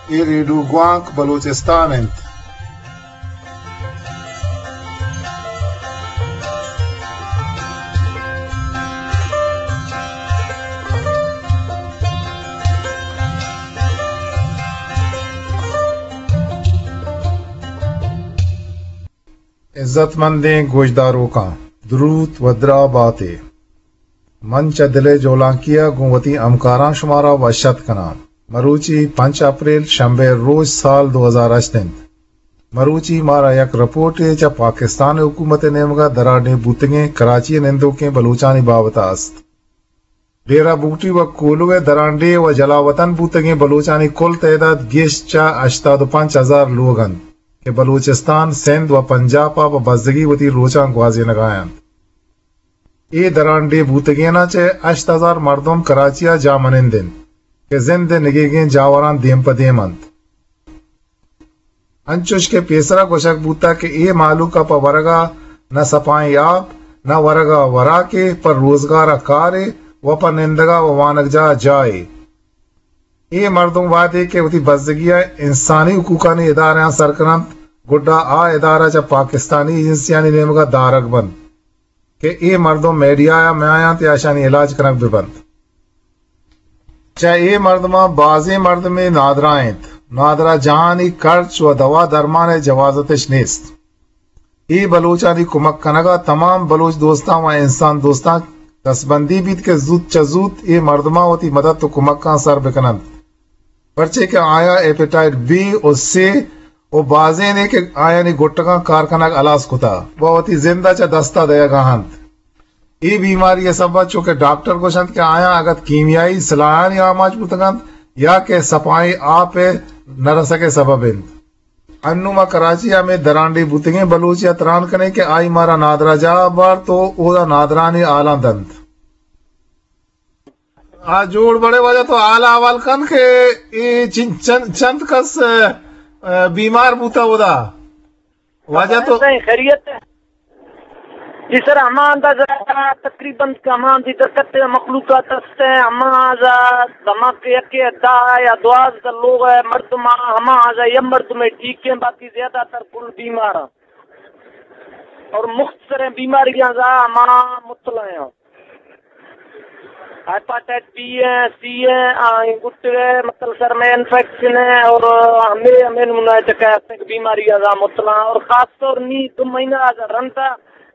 اے ریڈیو گوانک بلوچستان انت۔ عزت مندیں گوشداروکاں، دروت و دراہ باتے۔ من چہ دل ءِ جولانکی ءَ گوں وتی ہمکاراں شمارا وش اتک کناں۔ مروچی پنچ اپریل، شمبے ءِ روچ، سال دو ہزار ہشت انت۔ مروچی مارا یک رپورٹے چہ پاکستان ءِ حکومت ءِ نیمگ ءَ درانڈیں بوتگیں کراچی ءِ نندوکیں بلوچانی بابت ءَ است۔ ڈیرہ بگٹی و کولو ءِ درانڈیھ و جلاوطن بوتگیں بلوچانی کل تعداد گیش چہ ہشتاد و پنچ ہزار لوگ انت کہ بلوچستان، سندھ و پنجاپ ءَ پہ بزگی وتی روچاں گوازینگ ءَ انت۔ اے درانڈیھ بوتگیناں چہ ہشت ہزار مردم کراچی ءَ جاہ منند انت کہ زند ءِ نگیگیں جاوراں دیم پہ دیم انت۔ انچوش کہ پیسرا گوشگ بوتگ کہ اے مہلوک ءَ پہ ورگ ءَ نہ سپائیں آپ، نہ ورگ ءَ وراکے، پہ روزگار ءَ کارے و پہ نندگ ءَ و وانگجاہ ءَ جاہے۔ اے مردم وہدے کہ وتی بزگی ءَ انسانی حقوقانی ادارہاں سر کن انت، گڈا آ ادارہ چہ پاکستانی ایجنسیانی نیمگ ءَ دارگ بنت۔ کہ اے مردم میڈیا ءَ میاینت یا اشانی علاج کنگ بہ بنت۔ چہ اے مردماں بازیں مردمے نادراہ انت۔ نادراہ جاہانی کرچ و دوا درمان ءِ جوازتش نیست۔ اے بلوچانی کمک کنگ ءَ تمام بلوچ دوستاں و انسان دوستاں دستبندی بیت کہ زوت چہ زوت اے مردماں وتی مدد و کمکاں سر بہ کن انت۔ پرچے کہ آیاں ہیپیٹائٹ بی و سی و بازینے کہ آیانی گٹگاں کار کنگ ہلاس کتہ و وتی زند ءَ چہ دست ءَ دئیگ ءَ انت۔ اے بیماری ءِ سبب ءَ چو کہ ڈاکٹر گوشنت کہ آیاں اگت کیمیائی سلاہانی آماچ بوتگ انت یا کہ سپائیں آپ ءِ نہ رسگ ءِ سبب انت۔ انوں ما کراچی ءَ ہمے درانڈیھ بوتگیں بلوچے ءَ تران کنیں کہ آئی مارا نادراہ جاہ ءَ بارت و اودا نادراہانی ہالاں دنت۔ آ، جوڑ بڑے واجہ، تو حال احوال کن کہ اے چن-، چن-، چند کس، ا، ا، بیمار بوتا اودا؟ واجہ تو سائیں خیریت ہے؟ جی سر، ہما اندازہ تقریباً کہ ہما دی درکت مخلوقات است ہیں، ہما اندازہ دماغ کے یکے دہ یا دوازدہ لوگ ہے، مردم، ہما اندازہ یہ مردم ہے ٹھیک ہیں، باقی زیادہ تر کل بیمار ہیں اور مختصر ہیں، بیماریاں زا ہما مطلع ہیں۔ ہیپاٹائٹ بی ہے، سی ہے، آ، گٹے، مطلب سر میں انفیکشن ہے اور ہمیں، ہمیں نمونہ ہے چکا ہے کہ بیماری آزا مطلع اور خاص طور نی دو مہینہ آزا رندا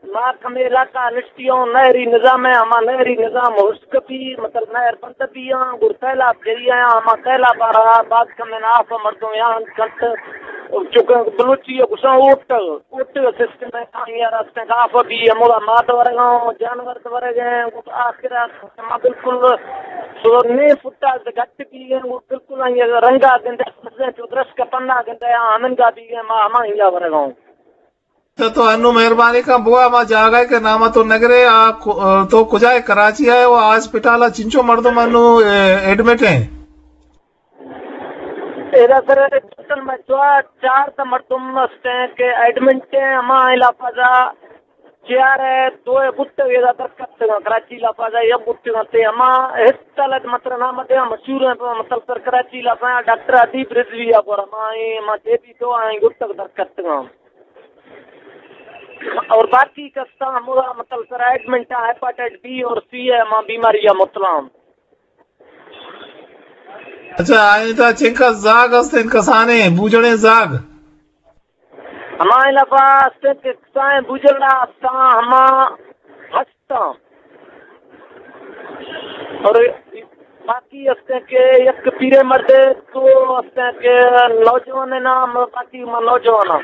ما کمے علاقہ نشتی ہوں، نہری نظام ہے، ہما نہری نظام ہشک بھی، مطلب نہر بند بھی ہاں، گر سیلاب جری آیا، ہما سیلاب آ رہا، بعد کمے ناف مردم یہاں کنت، چکا بلوچی ہے، گسا اوٹ۔ اوٹی سسٹم ہے، کامیار است ہیں، گاف بھی ہمودا مات ورگاں، جانور تو ورگ ہیں، گٹ آخر است، ما بالکل سو نے فٹا گٹ بھی ہیں، وہ بالکل آئی رنگا گندے، سبزیں تو درس کا پنا گندے، آ ہمنگا بھی ہیں، ما ہما ہنگا ورگاں۔ تو، تو انو مہربانی کن بوا، ما جاگہ کے نام تو نگرے، آ کو-، تو کجا ہے؟ کراچی ہے، وہ ہاسپٹل ہے، چنچو مردم انو، اے، ایڈمٹ ہیں؟ ادا سر ٹوٹل میں چوا-، چار تا مردم است ہیں کہ ایڈمنٹ ہیں، ہما علاقہ دا چیار ہے، دو ہے بٹے ادا در کتگاں، کراچی علاقہ دا یا بٹے تے ہما ہستا لگ مطلب نام دے مشہور ہیں، مطلب سر کراچی علاقہ ڈاکٹر ادیب رضوی آ گور ہما ہیں، ہما دے بھی دو آئیں گٹک در کتگاں۔ اور باقی کستا ہمودا مطلب سر ایڈمنٹ ہے، ہیپاٹائٹ بی اور سی ہے، ہما بیماری ہے مطلب۔ اچھا، آئی تا چنکا زاگ است انت کسانیں، بوجڑیں زاگ؟ ہما علاقہ است انت کہ کسانیں بوجڑا استاں، ہما ہستاں۔ اور باقی است انت کہ یک پیرے مردے تو است انت کہ نوجوان نام، باقی ما نوجوان ہاں۔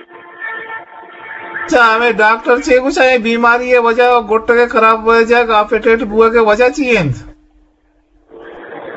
اچھا، ہمیں ڈاکٹر چے گوشا، اے بیماری ہے وجہ گٹگے خراب ہوئے جائے، آپریٹیٹ بوئے کے وجہ چی انت؟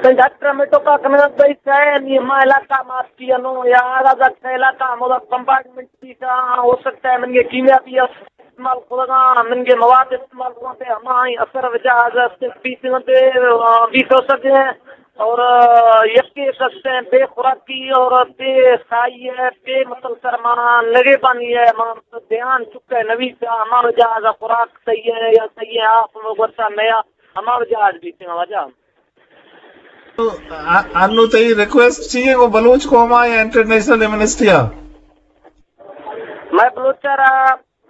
تئی ڈاکٹر ہمے ٹوکا کنگ ءَ بئیت، نی ہما علاقہ مارکی انو یا آگا دکھ علاقہ ہمودا بمبارڈمنٹ بیتا، ہو سکتا ہے منگے کیمیابی استعمال کتگاں، منگے مواد استعمال کتگاں، تے ہما آئی اثر وجہ آگا است بیت تے، آ، بیت ہو سکے۔ اور، آ، یکے کستے بے خوراکی اور بے سائی ہے، بے مسلسل مانا نگے بانی ہے، مانا دھیان چکے نویسا، ہما وجہ آگا خوراک صحیح ہے یا صحیح ہے، آپ گورتا نیا ہما وجہ آج بیتے واجہ۔ انو تئی ریکویسٹ چی ایں گوں بلوچ قوم ءَ یا انٹرنیشنل ایمنسٹی ءَ؟ مئے بلوچ ءَ را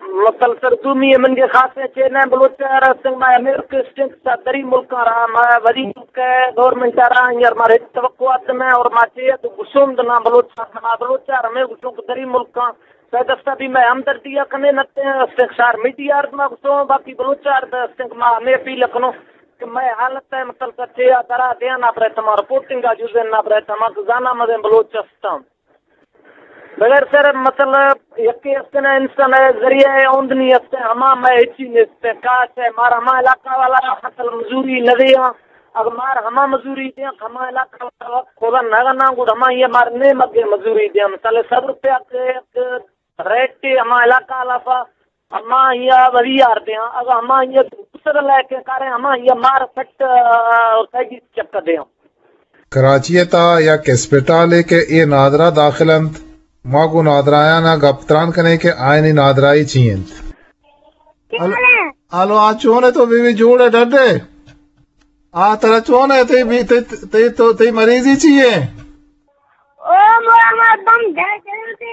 مسلسل دومی ءَ من گے خاصیں چین ءَ بلوچ ءَ را استنگ ما ہمے ریکویسٹ ایں کہ دری ملکاں را ما وزیر ملک ءَ گورنمنٹ ءَ را یار مارا ہچ توقعات نہ اور ما چے تو گشوند نہ بلوچ ءَ، ما بلوچ ءَ را ہمے گشوں کہ دری ملکاں سید افتا بھی مئے ہمدردی ءَ کنے نتے استنگ شار میڈیا ارد ما گشوں باقی بلوچ ءَ ارد استنگ ما ہمے اپیل کنوں کہ مئے حالت ءَ مسلسل چے ءَ درا دیاں نہ برے تما رپورٹنگ ءَ جزن نہ برے تما کہ زانا مزیں بلوچ استاں۔ بغیر سر مطلب یکے استن انسان ءِ ذریعہ ءِ اوندنی استن ہما مئے ہچی نیست۔ کاش ءَ مار ہما علاقہ والا فصل مزوری نہ دیاں۔ اگر مار ہما مزوری دیاں، ہما علاقہ والا خدا نہ گنا گڑ ہما یہ مار نے مگے مزوری دیاں۔ مثال سو روپیہ کے ایک ریٹ ہما علاقہ والا پا ہما یہ وزی یار دیاں۔ اگر ہما یہ دوسرے لے کے کارے ہما یہ مار سٹ اور سیگی چکر دیاں۔ کراچی ءِ تہا یک اسپتالے کہ اے نادراہ داخل انت، ما گوں نادراہیان ءَ گپ تران کنیں کہ آیانی نادراہی چی انت۔ ہل-، ہلو، آ چون ئے تو بی بی جوڑ ئے ڈڈ ئے؟ آ ترا چون ئے تئی بی-، تئی، تئی، تو، تئی مریضی چی ئے؟ او مو ہمار بم دھر جنتے۔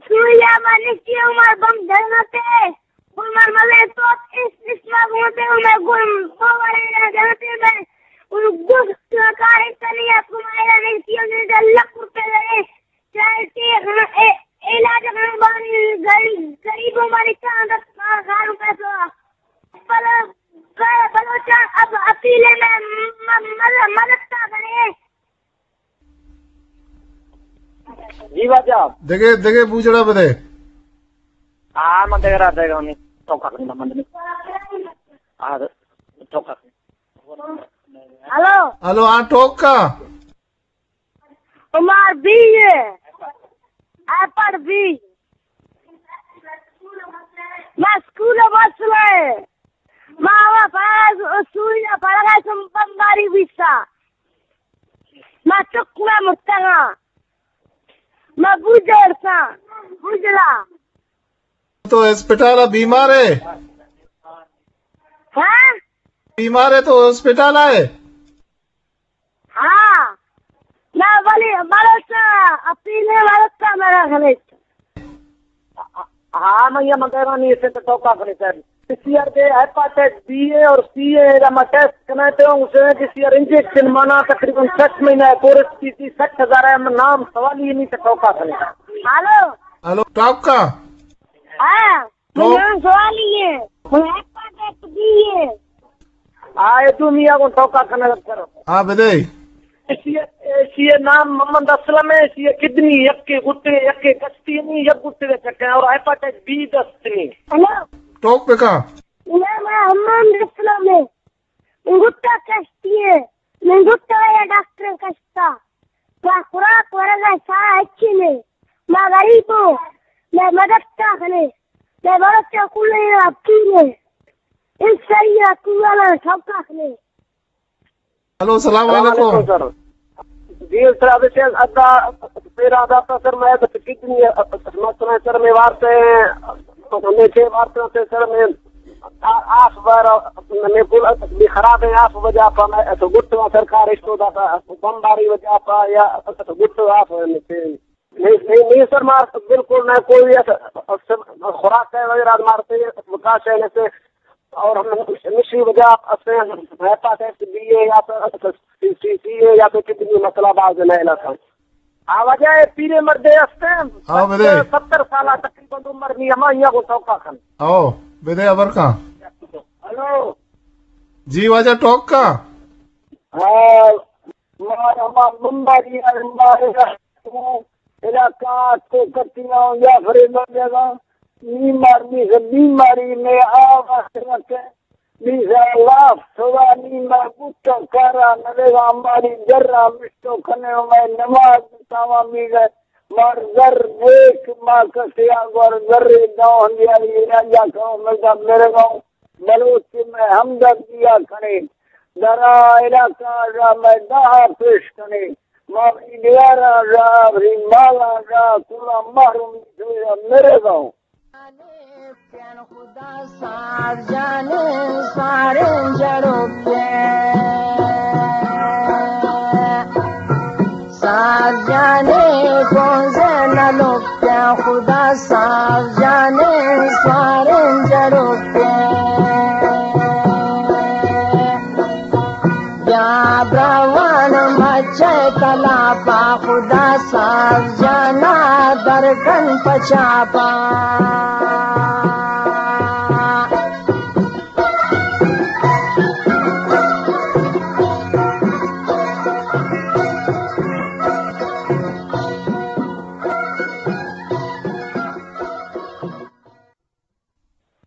سوریا ما نشتی ہمار بم دھر جنتے۔ گل مر ملے تو اس، اس ما گھومتے ہوں میں گل بوڑے جنتے میں۔ ان گل کارے کنی اپ کو مائرا نشتی ہوں میں لکھ روپے لگے۔ چاہے کہ ہم اے-، علاج ہم بانی غریب، غریبوں بانی چاند گھر میں تو۔ بل-، بل-، بلوچاں اب اپیل ہے میں م-، م-، مدد، مدد کا کرے۔ جی واجہ۔ دگہ، دگہ بوجڑا بدے۔ ہاں، من دگہ را دگہ نہیں۔ تو کا کرنا من نہیں۔ آ، تو کا۔ ہلو۔ ہلو، ہاں، ٹوک کا؟ عمر بی اے، اے پڑھ بی۔ ما اسکول ءَ وصل اے۔ ما وا فیض اسکول ءَ پڑھگا سم بمباری بیسا۔ ما چک ما مرتگا۔ ما بوجڑ سا۔ بوجڑا۔ تو ہسپتال ءَ بیمار ئے؟ ہاں؟ بیمار ئے تو ہسپتال ءَ ئے؟ ہاں، نہ، ولی بلوچ اپیل ہے، بلوچ کا منا خلیج۔ ہاں، میں یہ مندرانی اسے تو ٹوکا خلیج سر۔ اس ایئر دے ہیپاٹائٹس بی اے اور سی اے کا میں ٹیسٹ کرنا تے ہوں، اسے اس ایئر انجیکشن مانا تقریباً سٹھ مہینہ ہے، کورس کی تھی سٹھ ہزار ہے، میں نام سوال ہی نہیں تو ٹوکا خلیج۔ ہلو۔ ہلو، ٹوکا۔ ہاں۔ تو من سوالی ہے۔ من ہیپاٹائٹس بی اے۔ آ، اے دومی ءَ گوں ٹوکا کنگ ءَ کرو۔ آ، بدے۔ ایشی ءِ، ایشی ءِ نام محمد اسلم ہے، ایشی ءِ کڈنی یکے گٹے، یکے کشتی نہیں، یک گٹے دے چکے اور ہیپاٹائٹس بی دست نہیں۔ ہلو۔ ٹوک بکا۔ نام محمد اسلم ہے۔ من گٹا کشتی ہے۔ من گٹا یا ڈاکٹر کشتا۔ ما خوراک ورگا سا اچھی نے۔ ما غریب ہوں۔ میں مدد کا خنے۔ میں بلوچ کلے اپیل ہے۔ اس سری کوالا سوکا خنے۔ ہلو، السلام السلام علیکم۔ علیکم سر۔ جی سر، ابھی سے ادا، میرا ادا تھا سر، میں بس کتنی، مثلاً سر، میں وارتے ہیں، ہمیں چھ وارتے ہیں سر، میں آ-، آس بار، میں پورا بھی خراب ہے، آس وجہ پا میں تو گٹ سرکار اس کو داتا، بمباری وجہ پا یا تو گٹ آس میں سے۔ نہیں، نہیں، نہیں سر، مار بالکل نہ کوئی ایسا، ایسا خوراک ہے وغیرہ مارتے ہیں، بکاش ہے ایسے، اور ہم نشی وجہ سے ہیپاٹائٹس بی اے یا تو سی سی اے یا تو کتنی مسئلہ باز ہے نہ علاقہ۔ آ وجہ ہے پیرے مردے ہستے ہیں، ہاں، بدے۔ ستر سالہ تقریباً عمر نہیں، ہما یہاں کو سوکا کھن۔ او، بدے ابر کا۔ ہلو۔ جی واجہ ٹوک کا۔ ہاں، مار ہما بمباری، ہما علاقہ تو کتیاں یا فریب لگا، نی مار نی سے بیماری میں آ واسطے رکھے، نی سے لاف سوا نی مار بوتا کارا نلگا، ماری درا مشتو کنے میں نماز تاوا میگے، مار در دیکھ ما کسیا گور در دو ہندیاری یا جا کرو میں دا میرے گاؤں۔ بلوچ مئے ہمدردی ءَ کنیں، درا علاقہ ءَ را مئے دعا پیش کنیں، ما وتی ڈگاراں را، وتی مالاں را، کلاں محرومی ءَ مرگاں۔ خدا سار جانے سارے جڑو کے۔ جانے پونزے نہ لوٹے، خدا صاحب جانے سواریں جڑوٹے۔ بیا براوان مچے تلاپا، خدا صاحب جانا درکن پچاپا۔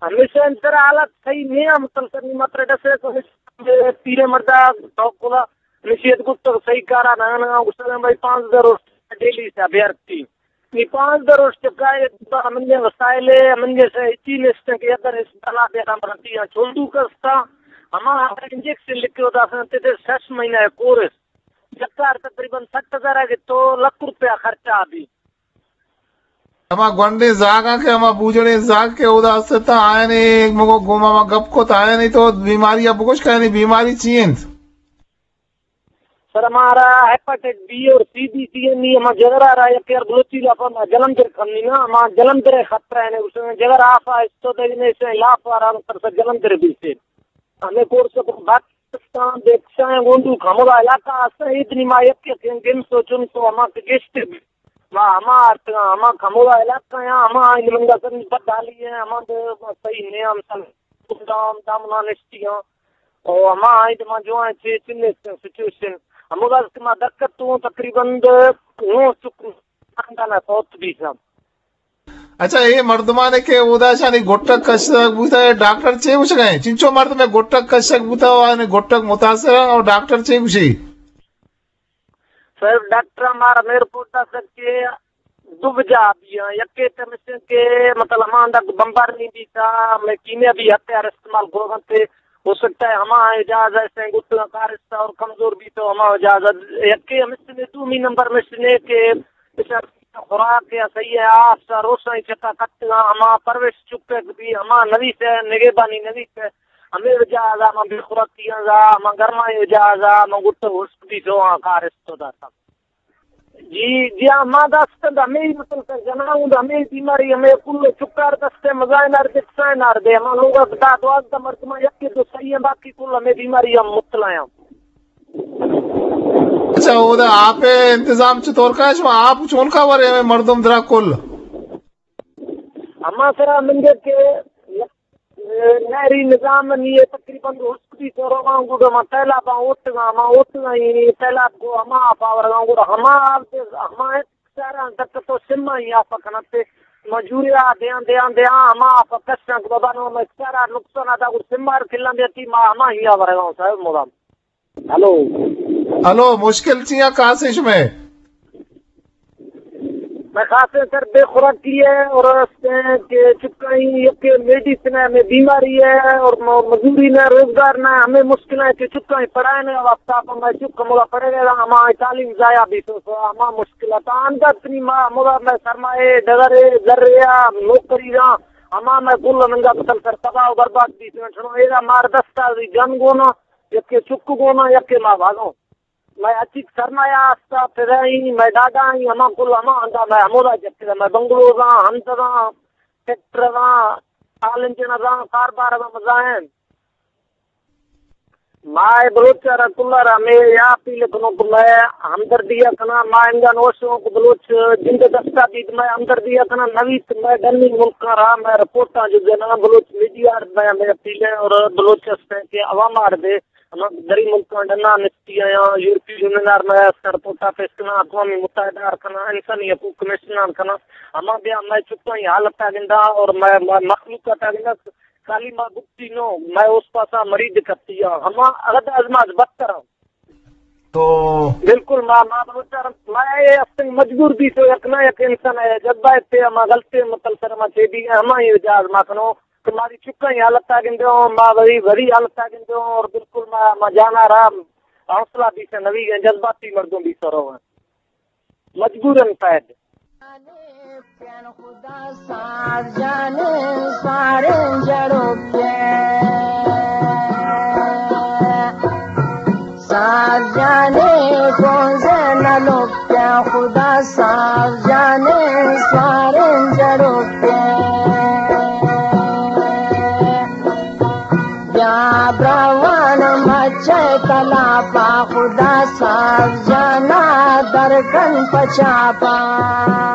ہمیشہ انتر حالت صحیح نہیں ہے، مسلسل نی مطلب ڈسے تو پیرے مردا توکلا نشیت گپت صحیح کارا نہ نہ گسلے بھائی پانزدہ روز ڈیلی سے بیارتی۔ نی پانزدہ روز چکا ہے، منجے وسائل ہے، منجے سے اچی نشتے کہ اگر اس بلا دے ہم رتی یا چھوٹو کرتا، ہما انجیکشن لکھ کے ادا سے تے شش مہینہ ہے کورس۔ چکار تقریباً سٹھ ہزار ہے کہ تو لکھ روپیہ خرچہ بھی۔ ہما گونڈیں زاگاں کہ ہما بوجڑیں زاگ کہ اودا است اتاں، آیانی مگو گوما ما گپ کت، آیانی تو بیماری ء بگوش کہ آیانی بیماری چی انت؟ سر، ہمارا ہیپاٹائٹس بی اور سی بی سی ایم ای، ہما جگرا را یک یار بلوچی لاپا ما جلندر کنی نا، ہما جلندر خطرہ ہے، اس میں جگر آفا استو دے نے سے لاپا را تر سے جلندر بھی سے۔ ہمیں کورس کو بات پاکستان دیکھتا ہے، گونڈو کھمولا علاقہ آستا ہے، اتنی ما یک یک گن سوچن تو ہما کے گشت ما ہما آرتگاں، ہما کھمولا علاقہ ہیں، ہما آئین منگا سر پت ڈالی ہیں، ہما دے صحیح نیام سن دام دامنا نشتی ہیں، اور ہما آئین ما جو ہیں چے چنے سچویشن، ہمودا کہ ما دقت تو تقریباً نو چک خاندان فوت بھی سب۔ اچھا، اے مردمانے کہ اودا شانی گٹک کشگ بوتا، اے ڈاکٹر چے گوشگ ء؟ چنچو مردمے گٹک کشگ بوتا و آنے گٹک متاثر ء، اور ڈاکٹر چے گوشی؟ سر، ڈاکٹر ہمارا میر پوٹا سر کے دو وجہ بھی ہیں۔ یکے تے مشن کے مطلب ہماندا بمبار نہیں بیتا، میں کیمیابی ہتھیار استعمال گوگن تے ہو سکتا ہے ہما اجازت سے گٹا کارستہ اور کمزور بھی تو ہما اجازت۔ یکے مشن دومی نمبر مشن کے خوراک یا صحیح ہے، آپ سا روشن چکا کتگا، ہما پروش چکے بھی، ہما نویس ہے، نگہبانی نویس ہے، ہمیں وجہ آزا، ہما بے خوراکی آزا، ہما گرمائی وجہ آزا، ہما گٹو ہشک بھی سو، ہاں، کارستو داتا۔ جی، جی، ہاں، ما دست ہمیں مطلب جناؤں، ہمیں بیماری، ہمیں کل چکار دستے، مزائن آر دے، کسائن آر دے، ہما لوگ دا دوازدہ مردمان، یکی دو صحیح ہیں، باقی کل ہمیں بیماری ہم مبتلا ہیں۔ اچھا، اودا آپ ء انتظام چطور کا؟ شما آپ چون کا ورے ہمیں مردم درا کل؟ ہما سرا منگے کہ نہری نظام نی ہے، تقریباً ہشک بھی تو روگاں گڈ ہما تیلاب اوٹگاں، ہما اوٹگاں ہی تیلاب کو ہما آپ آورگاں گڈ ہما آپ دے، ہما ایک سارا تک تو سما ہی آپ کنتے مجوری آ دیاں دیاں دیاں ہما آپ کشاں کو بابا نو میں سارا نقصان آتا گڈ سمار کلاں دیتی ما ہما ہی آورگاں صاحب مدام۔ ہلو۔ ہلو، مشکل چیا کاسے شمے؟ میں خاص سر بے خوراکی ہے اور اس کہ چکا ہی یک میڈیسن ہے، ہمیں بیماری ہے اور م-، مزوری نہ، روزگار نہ، ہمیں مشکل ہے کہ چکا ہی پڑھائے نہ، وقت آپ میں چکا مولا پڑھے گا، ہمارا تعلیم ضائع بھی تو، تو ہمارا مشکل ہے۔ تو اندر اتنی ما-، مولا میں سرمایہ، ڈگرے، ذرے، نوکری را، ہما میں کل ننگا قتل سر تباہ و برباد بھی تو، ایرا مار دستا بھی جن گونا، یکے چک گونا، یکے ما بھاگو۔ مئے اچیک سرمایہ استا، پدائی، مئے ڈاڈائی، ہما کل ہما ہندا مئے ہمودا جتگا، مئے بنگلوزاں، ہنتگاں، ٹریکٹرزاں، آل انجنزاں، کاربارزاں مزائن۔ مائے بلوچ را کل را مئے یا اپیل کنو کہ مئے ہمدردی کناں، ما انگا نوشوں کہ بلوچ جند دستا بیت، مئے ہمدردی کناں، نویت مئے ڈنی ملکاں را مئے رپورٹاں جو دینا، بلوچ میڈیا مئے، مئے اپیل ہے اور بلوچ ہستے کہ عوام آر دے، ہما دری ملکاں ڈنا نشتی آیاں، یورپی یونین آر مئے سر پوتا پیش کناں، اقوام متحدہ آر کناں، انسانی حقوق کمیشن آر کناں، ہما بیا مئے چکاں ای حالت آ گندا اور مئے، مئے مخلوقات آ گندا، خالی ما گپتی نو، مئے اوس پاسا مرید کپتی آ، ہما اگد ازماز بدتر آ۔ تو بالکل ما، ما بلوچار، ما اے استنگ مجبور بی تو یک نہ یک انسان ہے، جذبہ تے ہما غلطی مطلب سر ما چے بی ہما ہی جاز ما کنو۔ کہ ماری چکاں ای حالت آ گندے ہوں، ما وری، وری حالت آ گندے ہوں اور بالکل ما، ما جانا را حوصلہ بیسے نوی گئے، جذباتی مردم بیسے رو ہیں۔ مجبوراً پید۔ خدا ساز جانے سارے جڑو کے، ساز جانے کون سے نہ لوگ کے۔ روان مچ تلاپا، خدا صاحب جانا درکن پچاپا۔